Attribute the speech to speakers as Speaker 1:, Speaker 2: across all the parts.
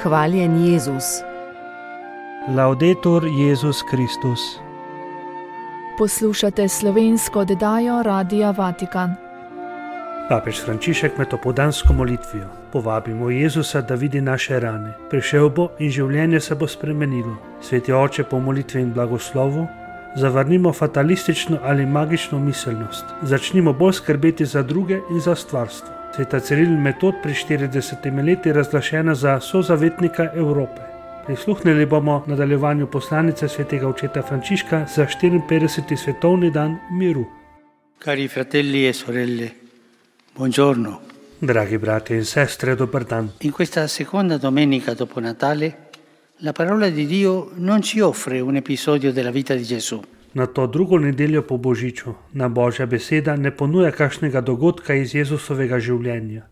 Speaker 1: Hvaljen Jezus.
Speaker 2: Laudetur Jezus Kristus.
Speaker 3: Poslušate slovensko oddajo Radia Vatikan.
Speaker 2: Papež Frančišek med opoldansko molitvijo: povabimo Jezusa, da vidi naše rane. Prišel bo in življenje se bo spremenilo. Sveti oče, po molitvi in blagoslovu zavrnimo fatalistično ali magično miselnost. Začnimo bolj skrbeti za druge in za stvarstvo. Sveta Ciril Metod pri 40 leti razglašena za sozavetnika Evrope. Prisluhnili bomo nadaljevanju poslanice svetega očeta Frančiška za 54. svetovni dan miru.
Speaker 4: Cari fratelli e sorelle, buongiorno.
Speaker 2: Dragi brati in sestre, dober dan.
Speaker 4: In questa seconda domenica dopo Natale, la parola di Dio non ci offre un episodio della vita di Gesù.
Speaker 2: Na to drugo nedeljo po Božiču na Božja beseda ne ponuja kakšnega dogodka iz Jezusovega življenja.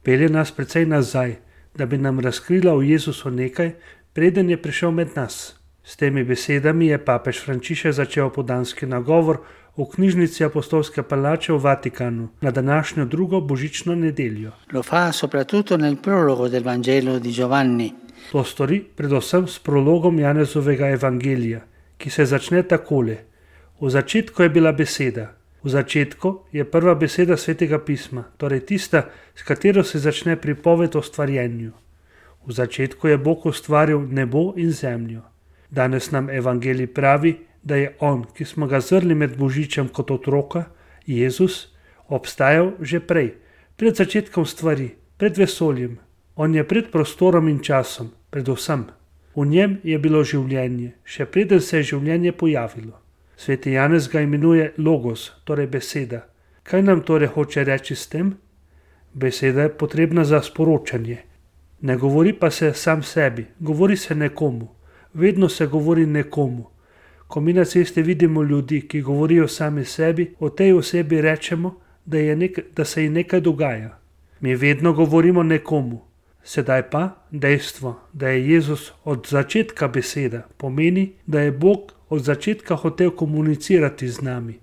Speaker 2: Pelje nas precej nazaj, da bi nam razkrila o Jezusu nekaj, preden je prišel med nas. S temi besedami je papež Frančišek začel opoldanski nagovor v knjižnici Apostolske palače v Vatikanu na današnjo drugo božično nedeljo.
Speaker 4: Lo fa soprattutto nel prologo del Vangelo di Giovanni.
Speaker 2: To stori predvsem s prologom Janezovega evangelija, ki se začne takole: v začetku je bila beseda. V začetku je prva beseda svetega pisma, torej tista, s katero se začne pripoved o stvarjenju. V začetku je Bog ustvaril nebo in zemljo. Danes nam evangelij pravi, da je on, ki smo ga zrli med Božičem kot otroka, Jezus, obstajal že prej, pred začetkom stvari, pred vesoljem. On je pred prostorom in časom, predvsem. V njem je bilo življenje, še preden se je življenje pojavilo. Sveti Janez ga imenuje logos, torej beseda. Kaj nam torej hoče reči s tem? Beseda je potrebna za sporočanje. Ne govori pa se sam sebi, govori se nekomu. Vedno se govori nekomu. Ko mi na cesti vidimo ljudi, ki govorijo sami sebi, o tej osebi rečemo, da se ji nekaj dogaja. Mi vedno govorimo nekomu. Sedaj pa dejstvo, da je Jezus od začetka beseda, pomeni, da je Bog od začetka hotel komunicirati z nami,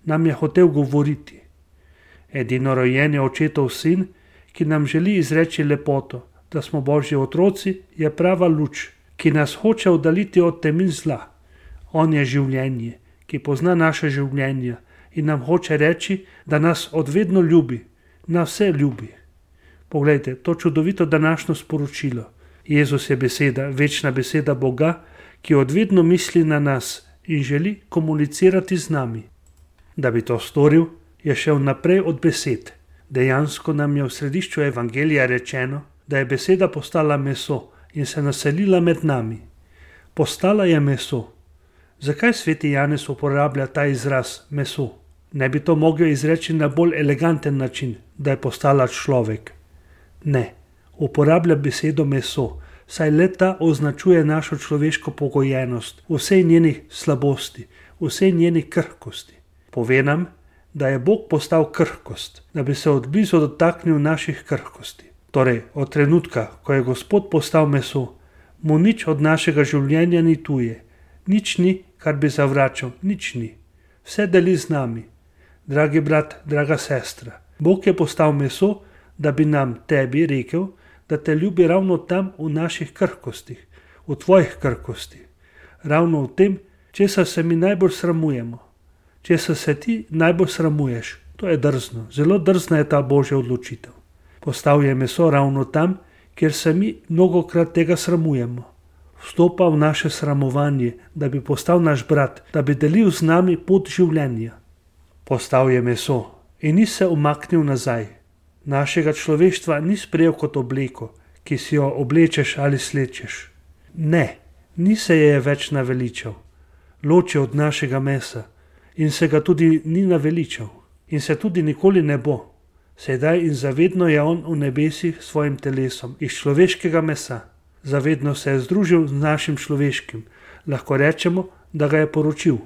Speaker 2: nam je hotel govoriti. Edinorojen je očetov sin, ki nam želi izreči lepoto, da smo Božji otroci, je prava luč, ki nas hoče oddaliti od temin zla. On je življenje, ki pozna naše življenje in nam hoče reči, da nas odvedno ljubi, nas vse ljubi. Poglejte, to čudovito današnjo sporočilo. Jezus je beseda, večna beseda Boga, ki odvedno misli na nas in želi komunicirati z nami. Da bi to storil, je šel naprej od besed. Dejansko nam je v središču evangelija rečeno, da je beseda postala meso in se naselila med nami. Postala je meso. Zakaj sveti Janez uporablja ta izraz meso? Ne bi to mogel izreči na bolj eleganten način, da je postala človek? Ne, uporablja besedo meso, saj le-ta označuje našo človeško pogojenost, vsej njenih slabosti, vsej njenih krhkosti. Pove nam, da je Bog postal krhkost, da bi se odblizu dotaknil naših krhkosti. Torej, od trenutka, ko je Gospod postal meso, mu nič od našega življenja ni tuje, nič ni, kar bi zavračal, nič ni. Vse deli z nami. Dragi brat, draga sestra, Bog je postal meso, da bi nam, tebi, rekel, da te ljubi ravno tam v naših krhkostih, v tvojih krhkostih. Ravno v tem, česar se mi najbolj sramujemo. Česar se ti najbolj sramuješ, to je drzno, zelo drzna je ta Božja odločitev. Postal je meso ravno tam, kjer se mi mnogokrat tega sramujemo. Vstopa v naše sramovanje, da bi postal naš brat, da bi delil z nami pot življenja. Postal je meso in ni se umaknil nazaj. Našega človeštva ni sprejel kot obleko, ki si jo oblečeš ali slečeš. Ne, ni se je več naveličal. Ločil od našega mesa in se ga tudi ni naveličal. In se tudi nikoli ne bo. Sedaj in zavedno je on v nebesih s svojim telesom iz človeškega mesa. Zavedno se je združil z našim človeškim. Lahko rečemo, da ga je poročil.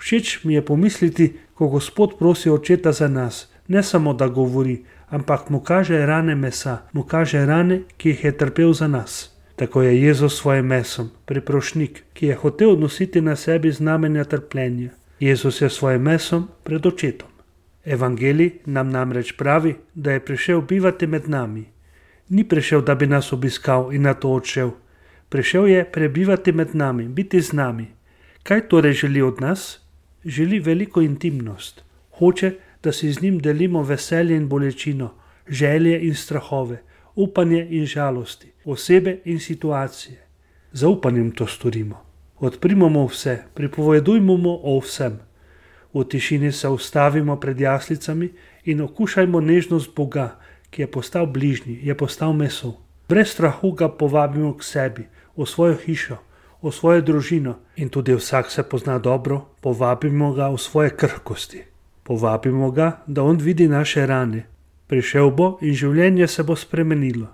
Speaker 2: Všeč mi je pomisliti, ko Gospod prosi očeta za nas, ne samo da govori, ampak mu kaže rane mesa, mu kaže rane, ki jih je trpel za nas. Tako je Jezus svojim mesom, priprošnik, ki je hotel nositi na sebi znamenja trpljenja. Jezus je svojim mesom pred očetom. Evangelij nam namreč pravi, da je prišel bivati med nami. Ni prišel, da bi nas obiskal in nato odšel. Prišel je prebivati med nami, biti z nami. Kaj torej želi od nas? Želi veliko intimnost. Hoče, da si z njim delimo veselje in bolečino, želje in strahove, upanje in žalosti, osebe in situacije. Zaupanjem to storimo. Odprimo mu vse, pripovedujmo mu o vsem. V tišini se ustavimo pred jaslicami in okušajmo nežnost Boga, ki je postal bližnji, je postal meso. Brez strahu ga povabimo k sebi, v svojo hišo, v svojo družino in tudi vsak se pozna dobro, povabimo ga v svoje krhkosti. Povabimo ga, da on vidi naše rane. Prišel bo in življenje se bo spremenilo.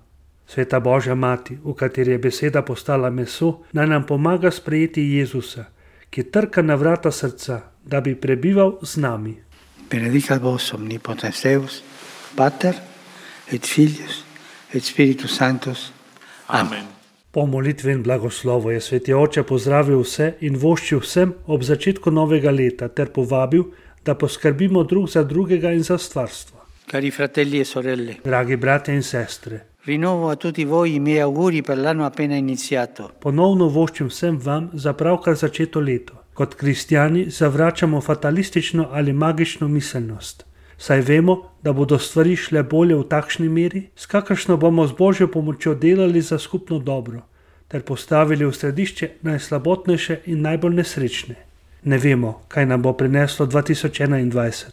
Speaker 2: Sveta Božja Mati, v kateri je beseda postala meso, naj nam pomaga sprejeti Jezusa, ki trka na vrata srca, da bi prebival z nami.
Speaker 4: Benedicat vos omnipotens Deus, Pater et Filius et Spiritus Sanctus. Amen.
Speaker 2: Po molitvi in blagoslovu je sveti oče pozdravil vse in voščil vsem ob začetku novega leta ter povabil, da poskrbimo drug za drugega in za stvarstvo.
Speaker 4: Cari fratelli e sorelle,
Speaker 2: Dragi brate in sestre,
Speaker 4: rinnovo a tutti voi i miei auguri per l'anno appena iniziato.
Speaker 2: ponovno voščim vsem vam za pravkar začeto leto. Kot kristjani zavračamo fatalistično ali magično miselnost. Saj vemo, da bodo stvari šle bolje v takšni meri, s kakršno bomo z Božjo pomočjo delali za skupno dobro, ter postavili v središče najslabotnejše in najbolj nesrečne. Ne vemo, kaj nam bo prineslo 2021.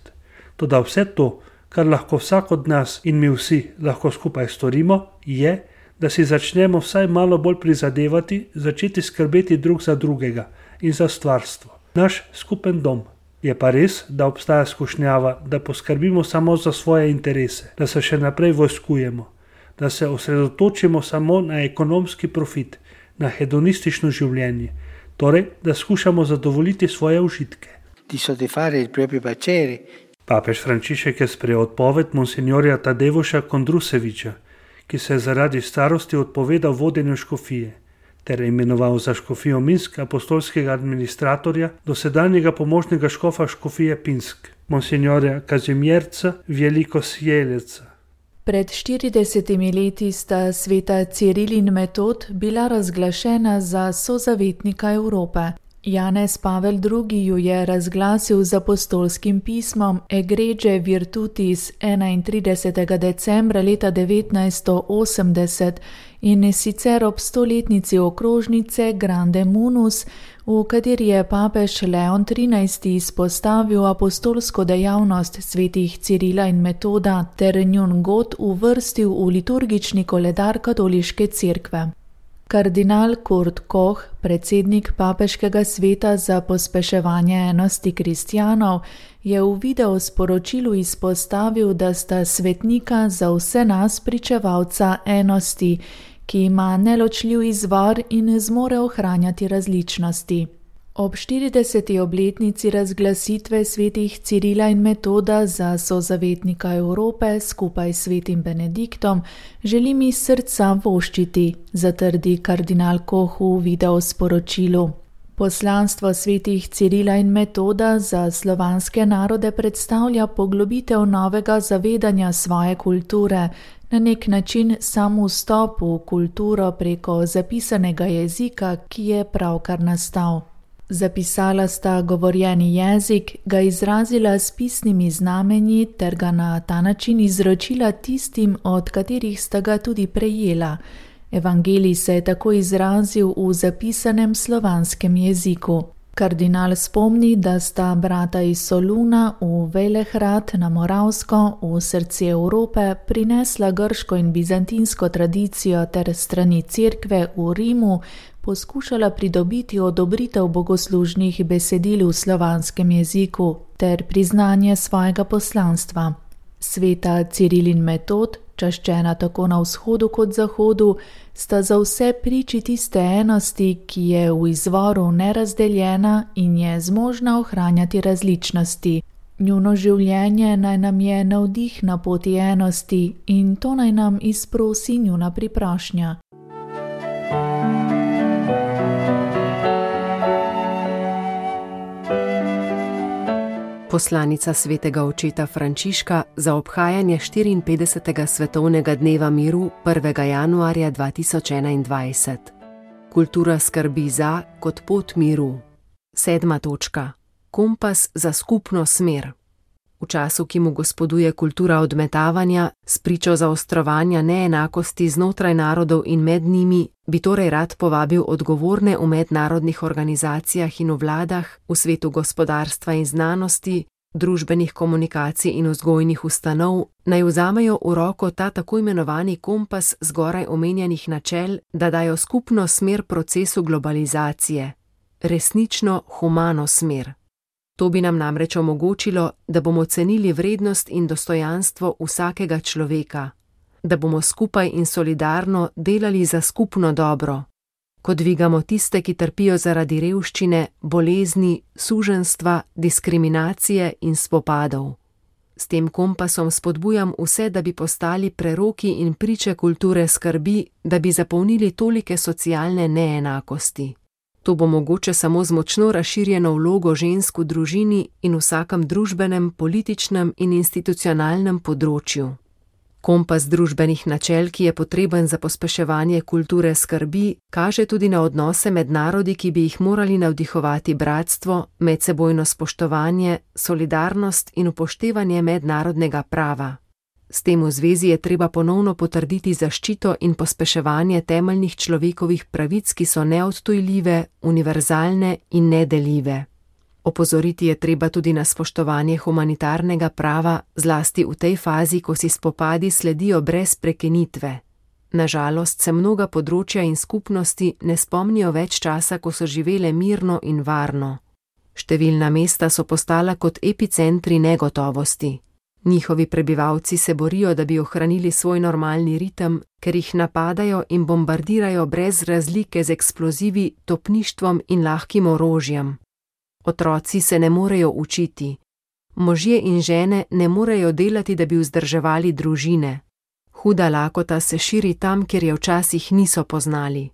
Speaker 2: Toda vse to, kar lahko vsak od nas in mi vsi lahko skupaj storimo, je, da si začnemo vsaj malo bolj prizadevati, začeti skrbeti drug za drugega in za stvarstvo. Naš skupen dom. Je pa res, da obstaja skušnjava, da poskrbimo samo za svoje interese, da se še naprej vojskujemo, da se osredotočimo samo na ekonomski profit, na hedonistično življenje, torej, da skušamo zadovoljiti svoje užitke.
Speaker 4: Di soddisfare il proprio piacere.
Speaker 2: Papež Frančišek je sprejel odpoved monsignorja Tadevuša Kondruseviča, ki se je zaradi starosti odpovedal vodenju škofije, ter imenoval za škofijo Minsk apostolskega administratorja, dosedanjega pomožnega škofa škofije Pinsk, monsignorja Kazimierca Velikosjeleca.
Speaker 3: Pred 40 leti sta sveta Ciril in Metod bila razglašena za sozavetnika Evrope. Janez Pavel II. Ju je razglasil z apostolskim pismom Egregie Virtutis 31. decembra leta 1980 in sicer ob 100-letnici okrožnice Grande Munus, v kateri je papež Leon XIII. Izpostavil apostolsko dejavnost svetih Cirila in Metoda ter njun god uvrstil v liturgični koledar katoliške cerkve. Kardinal Kurt Koch, predsednik papeškega sveta za pospeševanje enosti kristjanov, je v videosporočilu izpostavil, da sta svetnika za vse nas pričevalca enosti, ki ima neločljiv izvor in zmore ohranjati različnosti. Ob 40. obletnici razglasitve svetih Cirila in Metoda za sozavetnika Evrope skupaj s svetim Benediktom želim iz srca voščiti, zatrdi kardinal Koch v videosporočilu. Poslanstvo svetih Cirila in Metoda za slovanske narode predstavlja poglobitev novega zavedanja svoje kulture, na nek način sam vstop v kulturo preko zapisanega jezika, ki je pravkar nastal. Zapisala sta govorjeni jezik, ga izrazila s pisnimi znamenji ter ga na ta način izročila tistim, od katerih sta ga tudi prejela. Evangelij se je tako izrazil v zapisanem slovanskem jeziku. Kardinal spomni, da sta brata iz Soluna v Velehrad na Moravsko v srce Evrope prinesla grško in bizantinsko tradicijo ter strani cerkve v Rimu poskušala pridobiti odobritev bogoslužnih besedil v slovanskem jeziku ter priznanje svojega poslanstva. Sveta Ciril in Metod, čaščena tako na vzhodu kot zahodu, sta za vse priči tiste enosti, ki je v izvoru nerazdeljena in je zmožna ohranjati različnosti. Njuno življenje naj nam je navdih na poti enosti in to naj nam izprosi njuna priprošnja.
Speaker 1: Poslanica svetega očeta Frančiška za obhajanje 54. svetovnega dneva miru 1. januarja 2021. Kultura skrbi za kot pot miru. 7. točka. Kompas za skupno smer. V času, ki mu gospoduje kultura odmetavanja, spričo zaostrovanja neenakosti znotraj narodov in med njimi, bi torej rad povabil odgovorne v mednarodnih organizacijah in v vladah, v svetu gospodarstva in znanosti, družbenih komunikacij in vzgojnih ustanov, naj vzamejo v roko ta tako imenovani kompas zgoraj omenjenih načel, da dajo skupno smer procesu globalizacije, resnično humano smer. To bi nam namreč omogočilo, da bomo cenili vrednost in dostojanstvo vsakega človeka, da bomo skupaj in solidarno delali za skupno dobro, ko dvigamo tiste, ki trpijo zaradi revščine, bolezni, suženjstva, diskriminacije in spopadov. S tem kompasom spodbujam vse, da bi postali preroki in priče kulture skrbi, da bi zapolnili tolike socialne neenakosti. To bo mogoče samo z močno razširjeno vlogo žensk v družini in vsakem družbenem, političnem in institucionalnem področju. Kompas družbenih načel, ki je potreben za pospeševanje kulture skrbi, kaže tudi na odnose med narodi, ki bi jih morali navdihovati bratstvo, medsebojno spoštovanje, solidarnost in upoštevanje mednarodnega prava. S tem v zvezi je treba ponovno potrditi zaščito in pospeševanje temeljnih človekovih pravic, ki so neodtujljive, univerzalne in nedeljive. Opozoriti je treba tudi na spoštovanje humanitarnega prava, zlasti v tej fazi, ko si spopadi sledijo brez prekinitve. Nažalost se mnoga področja in skupnosti ne spomnijo več časa, ko so živele mirno in varno. Številna mesta so postala kot epicentri negotovosti. Njihovi prebivalci se borijo, da bi ohranili svoj normalni ritem, ker jih napadajo in bombardirajo brez razlike z eksplozivi, topništvom in lahkim orožjem. Otroci se ne morejo učiti. Možje in žene ne morejo delati, da bi vzdrževali družine. Huda lakota se širi tam, kjer je včasih niso poznali.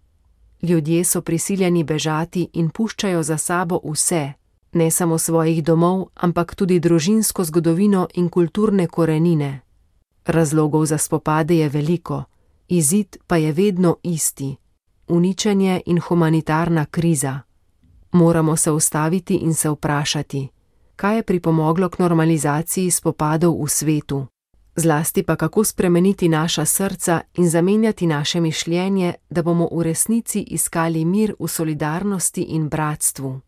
Speaker 1: Ljudje so prisiljeni bežati in puščajo za sabo vse. Ne samo svojih domov, ampak tudi družinsko zgodovino in kulturne korenine. Razlogov za spopade je veliko, izid pa je vedno isti: uničenje in humanitarna kriza. Moramo se ustaviti in se vprašati, kaj je pripomoglo k normalizaciji spopadov v svetu, zlasti pa kako spremeniti naša srca in zamenjati naše mišljenje, da bomo v resnici iskali mir v solidarnosti in bratstvu.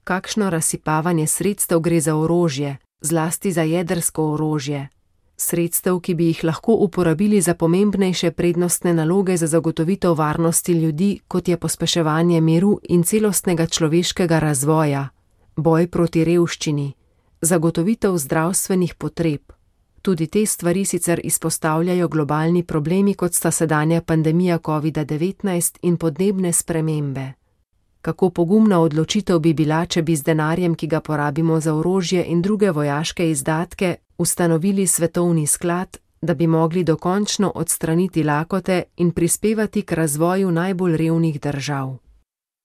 Speaker 1: Kakšno razsipavanje sredstev gre za orožje, zlasti za jedrsko orožje. Sredstev, ki bi jih lahko uporabili za pomembnejše prednostne naloge za zagotovitev varnosti ljudi, kot je pospeševanje miru in celostnega človeškega razvoja, boj proti revščini, zagotovitev zdravstvenih potreb. Tudi te stvari sicer izpostavljajo globalni problemi, kot sta sedanja pandemija COVID-19 in podnebne spremembe. Kako pogumna odločitev bi bila, če bi z denarjem, ki ga porabimo za orožje in druge vojaške izdatke, ustanovili svetovni sklad, da bi mogli dokončno odstraniti lakote in prispevati k razvoju najbolj revnih držav.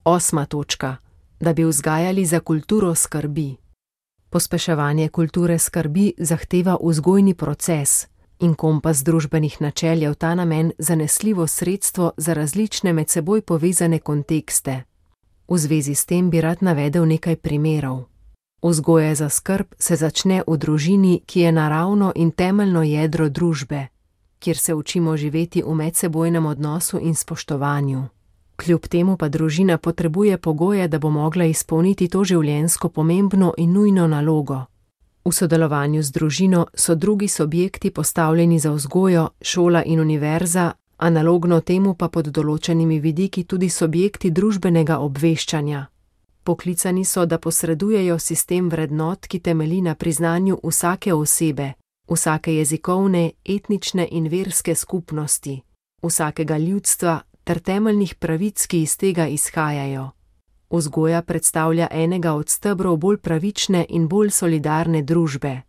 Speaker 1: 8. točka. Da bi vzgajali za kulturo skrbi. Pospeševanje kulture skrbi zahteva vzgojni proces in kompas družbenih načel je v ta namen zanesljivo sredstvo za različne med seboj povezane kontekste. V zvezi s tem bi rad navedel nekaj primerov. Vzgoja za skrb se začne v družini, ki je naravno in temeljno jedro družbe, kjer se učimo živeti v medsebojnem odnosu in spoštovanju. Kljub temu pa družina potrebuje pogoje, da bo mogla izpolniti to življenjsko pomembno in nujno nalogo. V sodelovanju z družino so drugi subjekti postavljeni za vzgojo, šola in univerza, analogno temu pa pod določenimi vidiki tudi subjekti družbenega obveščanja. Poklicani so, da posredujejo sistem vrednot, ki temelji na priznanju vsake osebe, vsake jezikovne, etnične in verske skupnosti, vsakega ljudstva ter temeljnih pravic, ki iz tega izhajajo. Vzgoja predstavlja enega od stebrov bolj pravične in bolj solidarne družbe.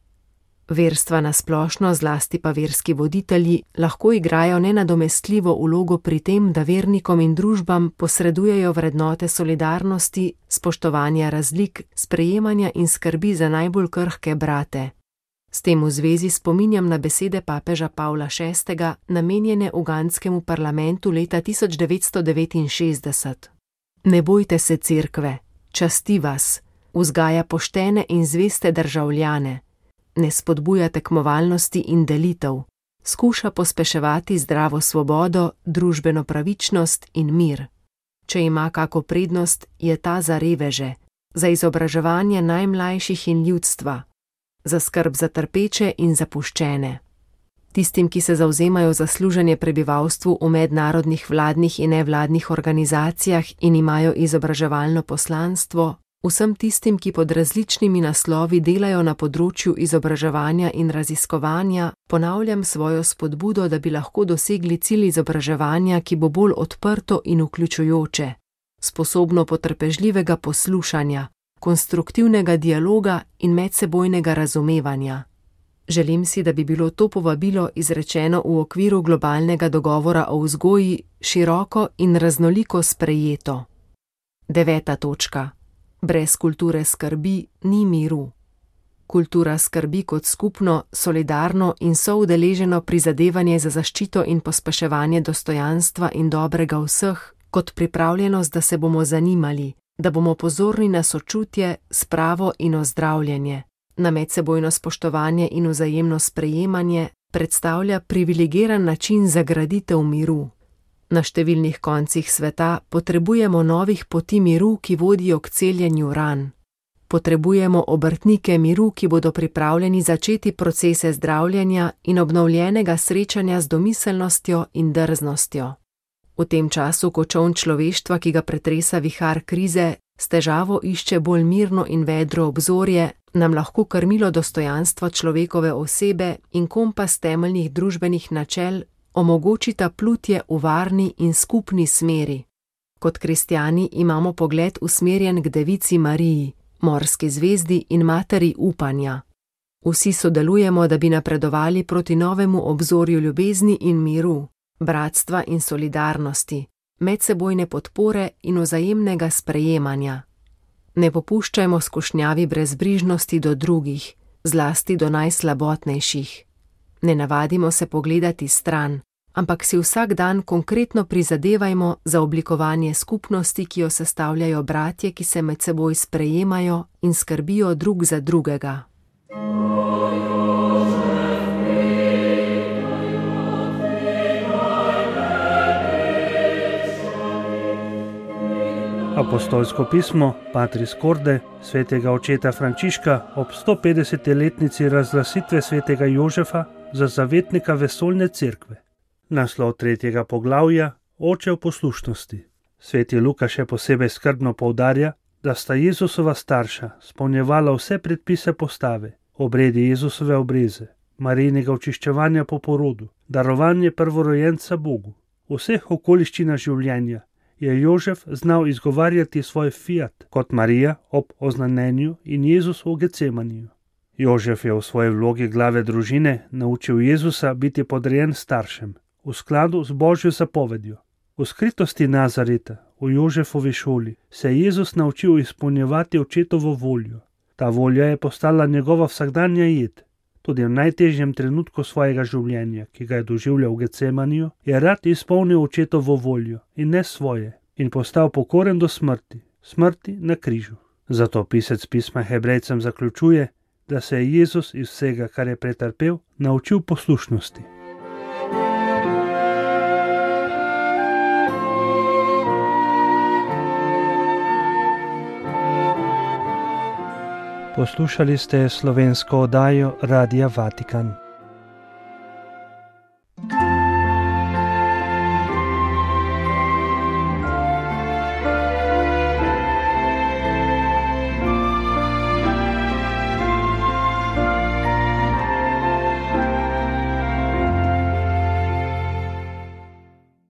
Speaker 1: Verstva na splošno, zlasti pa verski voditelji, lahko igrajo nenadomestljivo vlogo pri tem, da vernikom in družbam posredujejo vrednote solidarnosti, spoštovanja razlik, sprejemanja in skrbi za najbolj krhke brate. S tem v zvezi spominjam na besede papeža Pavla VI, namenjene ugandskemu parlamentu leta 1969. Ne bojte se cerkve, časti vas, vzgaja poštene in zveste državljane, ne spodbuja tekmovalnosti in delitev, skuša pospeševati zdravo svobodo, družbeno pravičnost in mir. Če ima kako prednost, je ta za reveže, za izobraževanje najmlajših in ljudstva, za skrb za trpeče in zapuščene. Tistim, ki se zavzemajo za služenje prebivalstvu v mednarodnih vladnih in nevladnih organizacijah in imajo izobraževalno poslanstvo, vsem tistim, ki pod različnimi naslovi delajo na področju izobraževanja in raziskovanja, ponavljam svojo spodbudo, da bi lahko dosegli cilj izobraževanja, ki bo bolj odprto in vključujoče, sposobno potrpežljivega poslušanja, konstruktivnega dialoga in medsebojnega razumevanja. Želim si, da bi bilo to povabilo izrečeno v okviru globalnega dogovora o vzgoji široko in raznoliko sprejeto. 9. točka. Brez kulture skrbi ni miru. Kultura skrbi kot skupno, solidarno in soudeleženo prizadevanje za zaščito in pospeševanje dostojanstva in dobrega vseh, kot pripravljenost, da se bomo zanimali, da bomo pozorni na sočutje, spravo in ozdravljanje, na medsebojno spoštovanje in vzajemno sprejemanje, predstavlja privilegiran način za graditev miru. Na številnih koncih sveta potrebujemo novih poti miru, ki vodijo k celjenju ran. Potrebujemo obrtnike miru, ki bodo pripravljeni začeti procese zdravljenja in obnovljenega srečanja z domiselnostjo in drznostjo. V tem času, ko čoln človeštva, ki ga pretresa vihar krize, s težavo išče bolj mirno in vedro obzorje, nam lahko krmilo dostojanstva človekove osebe in kompas temeljnih družbenih načel omogočita plutje v varni in skupni smeri. Kot kristjani imamo pogled usmerjen k Devici Mariji, morski zvezdi in materi upanja. Vsi sodelujemo, da bi napredovali proti novemu obzorju ljubezni in miru, bratstva in solidarnosti, medsebojne podpore in vzajemnega sprejemanja. Ne popuščajmo skušnjavi brezbrižnosti do drugih, zlasti do najslabotnejših. Ne navadimo se pogledati stran, ampak si vsak dan konkretno prizadevajmo za oblikovanje skupnosti, ki jo sestavljajo bratje, ki se med seboj sprejemajo in skrbijo drug za drugega.
Speaker 2: Apostolsko pismo Patris Corde svetega očeta Frančiška ob 150-letnici razglasitve svetega Jožefa za zavetnika vesoljne cerkve. Naslov 3. poglavja Oče v poslušnosti. Sveti Luka še posebej skrbno poudarja, da sta Jezusova starša spolnjevala vse predpise postave, obredi Jezusove obreze, Marijinega očiščevanja po porodu, darovanje prvorojenca Bogu. V vseh okoliščinah življenja je Jožef znal izgovarjati svoj fiat kot Marija ob oznanjenju in Jezus v Getsemaniju. Jožef je v svoji vlogi glave družine naučil Jezusa biti podrejen staršem, v skladu z Božjo zapovedjo. V skritosti Nazareta, v Jožefovi šoli, se je Jezus naučil izpolnjevati očetovo voljo. Ta volja je postala njegova vsakdanja jed. Tudi v najtežjem trenutku svojega življenja, ki ga je doživljal v Getsemaniju, je rad izpolnil očetovo voljo in ne svoje, in postal pokoren do smrti, smrti na križu. Zato pisec pisma Hebrejcem zaključuje, da se je Jezus iz vsega, kar je pretrpel, naučil poslušnosti. Poslušali ste slovensko oddajo Radia Vatikan.